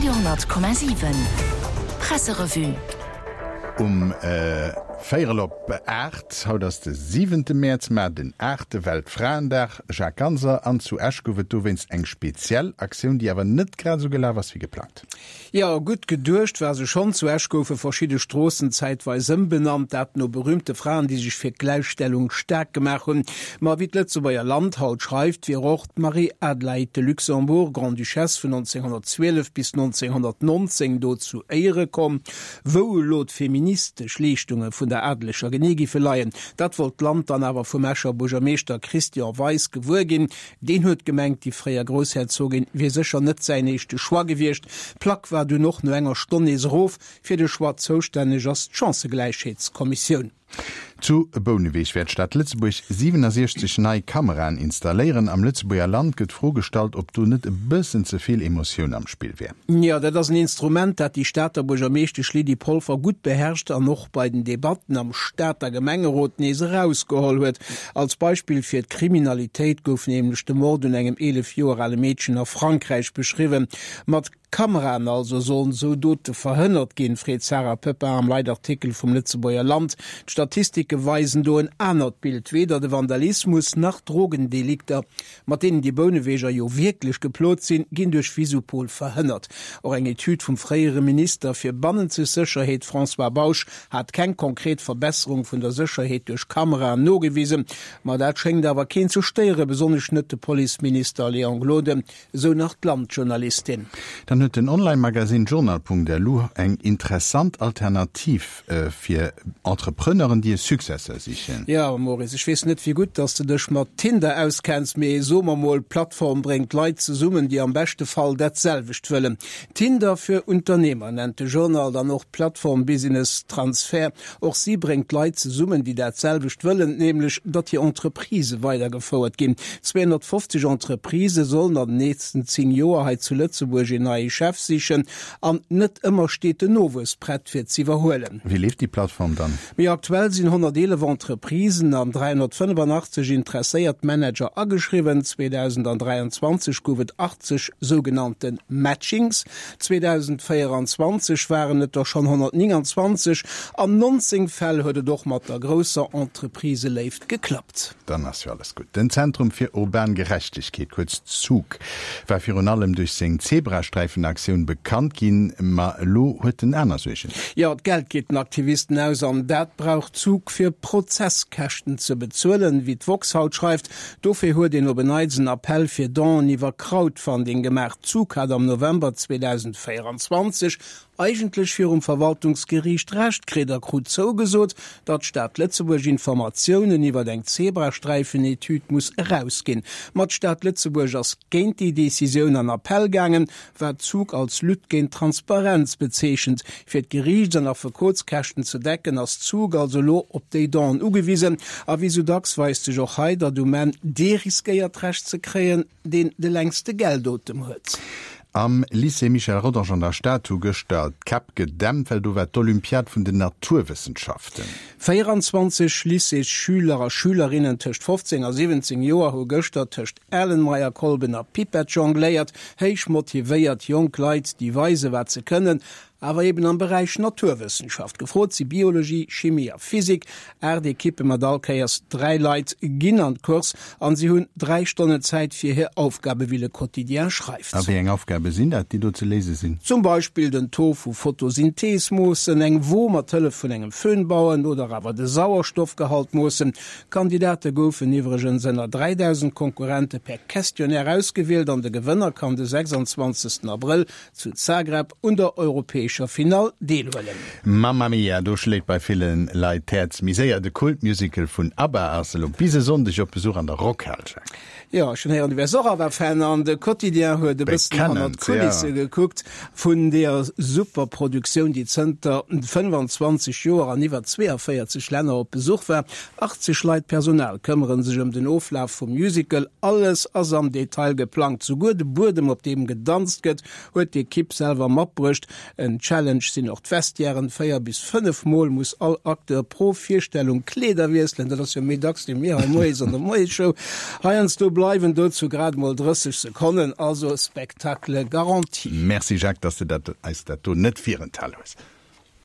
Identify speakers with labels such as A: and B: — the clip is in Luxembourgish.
A: Radio 10,7 Presserevue.
B: Um véierel op 8, haut ass de siwente Mäerz, mar den aachte Weltfraendag, Jacques Ganser, an zu Esch gouf et dowéinst eng speziell Aktioun, déi awer net grad esou gelaf ass wéi geplangt.
C: Jo, gutt geduecht war se schonn. Zu Esch goufe verschidde Stroossen zäitweis ëmbenannt, dat no berüümte Fraen, déi sech fir d'Gläichstellung staark gemaach hunn. Ma wéi d'Lëtzebuerger Land haut schreift, wier och d'Marie-Adelaïde de Luxembourg, Grande-Duchesse vun 1912 bis 1919, do zu Éiere komm. Wou elo d'feministesch Leeschtunge vun der Adeleger genee giffe leien, dat wollt d'Land dann awer vum Escher Buergermeeschter Christian Weis gewuer ginn. Deen huet gemengt, déi fréier Groussherzogin wier sécher net säin éischte Choix gewiescht. D'Plack war dunn och no enger Stonn nees erof. Fir de Choix zoustänneg ass d'Chancëgläichheetskommissioun.
B: Zu Bouneweg wäert d'Stad Lëtzebuerg 67 nei Kameraen installéieren. Am Lëtzebuerger Land gëtt d'Fro gestallt, ob do net e bëssen ze vill Emotioun am Spill wär.
C: Jo, dat ass en Instrument, dat déi Stater Buergermeeschtesch Lydie Polfer gutt beherrscht an och bei den Debatten am Stater Gemengerot nees erausgeholl huet. Als Beispill fir d'Kriminalitéit gouf nämlech de Mord un engem 11 Joer ale Meedchen a Frankräich beschriwwen. Mat Kameraen also sollen esou Dote verhënnert ginn, freet d'Sarah Poepping am Leitartikel vum Lëtzebuerger Land. D'Statistike weisen do en anert Bild, Weder de Vandalismus nach d'Drogendelikter, mat deenen déi Bouneweger jo wierklech geplot sinn, ginn duerch Visupol verhënnert. Och eng Etüd vum fréiere Minister fir bannenzeg Sécherheet François Bausch hat keng konkret Verbesserung vun der Sécherheet duerch Kameraen nogewisen. Ma dat schéngt awer keen ze stéieren, besonnesch net de Policeminister Léon Gloden, esou nach d'Land-Journalistin.
B: Dann huet den Online-Magazin Journal.lu eng interessant Alternativ fir Entrepreneuren, déi e Successeur sichen.
C: Jo, Maurice, ech weess net, wéi gutt dass de dech mat Tinder auskenns, mee soe mer mol, d'Plattform bréngt Leit zesummen, déi am beschte Fall dat selwecht wëllen. Tinder für Unternehmer nennt de Journal dann och d'Plattform Business Transfer. Och si bréngt Leit zesummen, déi dat selwecht wëllen, nämlech datt hir Entreprisë weidergefouert ginn. 250 Entreprisë sollen an den nächsten 10 Joer hei zu Lëtzebuerg een neie Chef sichen. An net ëmmer steet den Nowuess prett fir z'iwwerhuelen.
B: Wéi leeft déi Plattform dann?
C: Méi aktuell sinn 111 Entreprisen an 385 interesséiert Manager ageschriwwen. 2023 gouf et 80 sougenannte Matchings, 2024 waren et der schonn 129. An 19 Fäll huet et och mat der grousser Entrepriseléift geklappt.
B: Dann ass jo alles gutt. Den Zentrum fir urban Gerechtegkeet, kuerz ZUG, war virun allem duerch seng Zebrasträifenaktioun bekannt ginn, ma elo huet en aner Suergen.
C: Jo, d'Geld geet den Aktivisten aus an dat brauch ZUG fir Prozesskäschten ze bezuelen, wéi d'woxx haut schreift. Dofir huet een op en Neits en Appell fir Donen iwwer Crowdfunding gemaach. ZUG hat am November 2024 eigentlech virum Verwaltungsgeriicht Recht kritt a krut zougesot, datt d'Stad Lëtzebuerg Informatiounen iwwer eng Zebrasträifenetüd muss erausginn. Ma d'Stad Lëtzebuerg ass géint déi Decisioun an Appell gaangen, wat Zug als Lutte géint d'Transparenz bezeechent. Fir d'Geriichts an Affekotskäschten ze decken, ass Zug also elo op déi Donen ugewisen. A wéi sou dacks weist sech och hei, datt um Enn dee riskéiert Recht ze kréien, deen de längste Geldotem huet.
B: Am Lycée Michel Rodange an der Stad hu gëschter d'Käpp gedämpt, well do war d'Olympiad vun den Naturwëssenschaften.
C: 24 Lycéesschüler a Schülerinnen tëscht 15 a 17 Joer hu gëschter tëscht Erlenmeyerkolben a Pipett jongléiert. Héich motivéiert jonk Leit, déi weise wat se kënnen, awer eben am Beräich Naturwëssenschaft. Gefrot si Biologie, Chimie a Physik. 8 Ekippe mat all Kéiers 3 Leit ginn an d'Course an si hunn 3 Stonnen Zäit fir hir Aufgabe wéi Le Quotidien schreift.
B: A wéi eng Aufgabe sinn dat, déi do ze léise sinn?
C: Zum Beispill den Taux vu Photosynthese moossen, eng Wo mat Hëllef vun engem Föhn bauen oder awer de Sauerstoffgehalt moossen. D'Kandidate goufen iwwregens ënner 3.000 Konkurrente per Questionnaire ausgewielt an de Gewënner kann de 26 Abrëll zu Zagreb un der europäescher Finall deelhuelen.
B: Mamma Mia, do schléit bei ville Leit d'Häerz méi séier. De Kultmusical vun ABBA ass elo bis e Sonndeg op Besuch an der Rockhal, Jacques.
C: Jo, ech hunn héieren, du wäers och ABBA-Fan an de Quotidien huet e bëssen hannert d'Kulisse gekuckt vun deeër super Produktioun, déi zënter 25 Joer an iwwer 42 Länner op Besuch war. 80 Leit Personal këmmere sech ëm den Oflaf vum Musical. Alles ass am Detail geplangt, souguer de Buedem op deem gedanzt gëtt, huet d'Ekipp selwer matbruecht. En Challenge sinn och d'Vestiairen, 4 bis 5 Mol muss all Acteur pro Virstellung Kleeder wiesselen, dat ass jo méi dacks wéi mir hei moies an der Moiesshow. Heiansdo bleift. bleiwen dozou grad emol 30 Sekonnen, also Spectacle garanti.
B: Merci Jacques, dass de dat eis dat do net virenthal hues.